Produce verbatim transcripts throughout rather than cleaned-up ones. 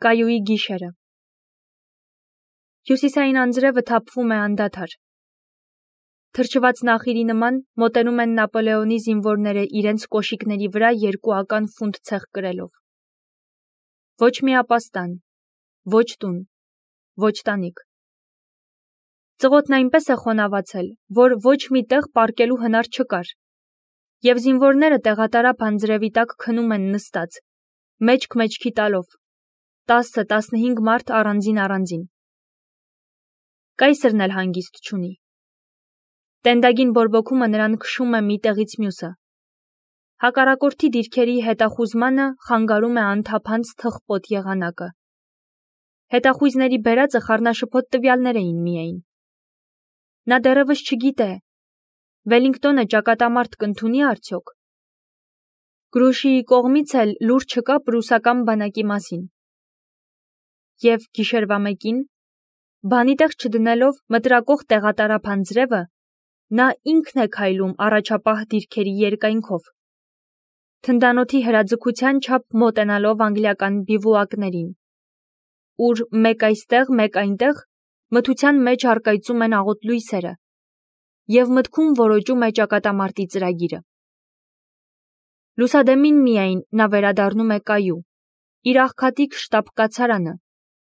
Կայուի գիշերը։ Հյուսիսային անձրևը թափվում է անդադար։ Թրջված նախիրի նման մոտենում են Նապոլեոնի զինվորները իրենց կոշիկների վրա երկու ական ֆունտ ցեղ կրելով։ Ոչ մի ապաստան, ոչ տուն, ոչ տանիք։ Ծղոտն այնպես է խոնավացել, որ ոչ մի տեղ պառկելու հնար չկար, և զինվորները տեղատարափ անձրևի տակ քնում են նստած, մեջք մեջքի տալով, տասը տասնհինգ մարդ առանձին առանձին։ Կայսրն էլ հանգիստ չունի։ Տենդագին բորբոքումը նրան քշում է մի տեղից մյուսը։ Հակառակորդի դիրքերի հետախուզմանը խանգարում է անթափանց թխպոտ եղանակը։ Հետախույզների բերածը խառնաշփոթ տվյալներ էին միայն։ Նա դեռևս չգիտե, Վելինգտոնը ճակատամարտ կընդունի արդյոք։ Գրուշիի կողմից էլ լուր չկա պրուսական բանակի մասին։ Եվ գիշերվա մեկին, բանի տեղ չդնելով մտրակող տեղատարափ անձրևը, նա ինքն է քայլում առաջապահ դիրքերի երկայնքով, թնդանոթի հրաձգության չափ մոտենալով անգլիական բիվուակներին, ուր մեկ այստեղ, մեկ այնտեղ մթության մեջ առկայծում են աղոտ լույսերը, և մտքում որոճում է ճակատամարտի ծրագիրը։ Լուսադեմին միայն նա վերադառնում է կայու, իր աղքատիկ շտապ կացարանը,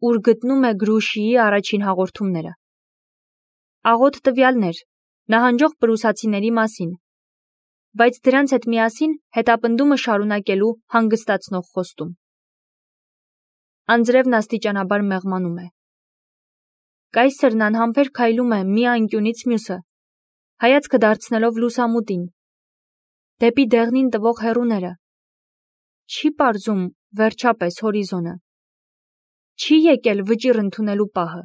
ուր գտնում է Գրուշիի առաջին հաղորդումները։ Աղոտ տվյալներ, նահանջող պրուսացիների մասին, բայց դրանց հետ միասին հետապնդումը շարունակելու հանգստացնող խոստում։ Անձրևն աստիճանաբար մեղմանում է։ Կայսրն անհամբեր քայլում է մի անկյունից մյուսը, հայացքը դարձնելով լուսամուտին, դեպի դեղնին տվող հեռուները, չի պարզում վերջապես հորիզոնը, չի եկել վճիռ ընդունելու պահը։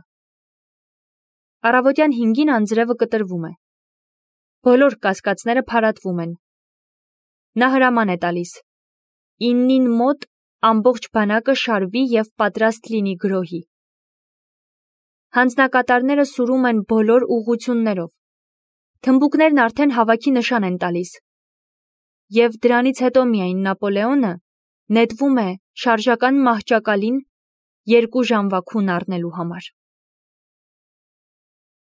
Առավոտյան հինգին անձրևը կտրվում է։ Բոլոր կասկածները փարատվում են։ Նա հրաման է տալիս. իննին մոտ ամբողջ բանակը շարվի և պատրաստ լինի գրոհի։ Հանձնակատարները սուրում են բոլոր ուղղություններով։ Թմբուկներն արդեն հավաքի նշան են տալիս։ Եվ դրանից հետո միայն Նապոլեոնը նետվում է շարժական մահճակալին երկու ժամվա քուն առնելու համար։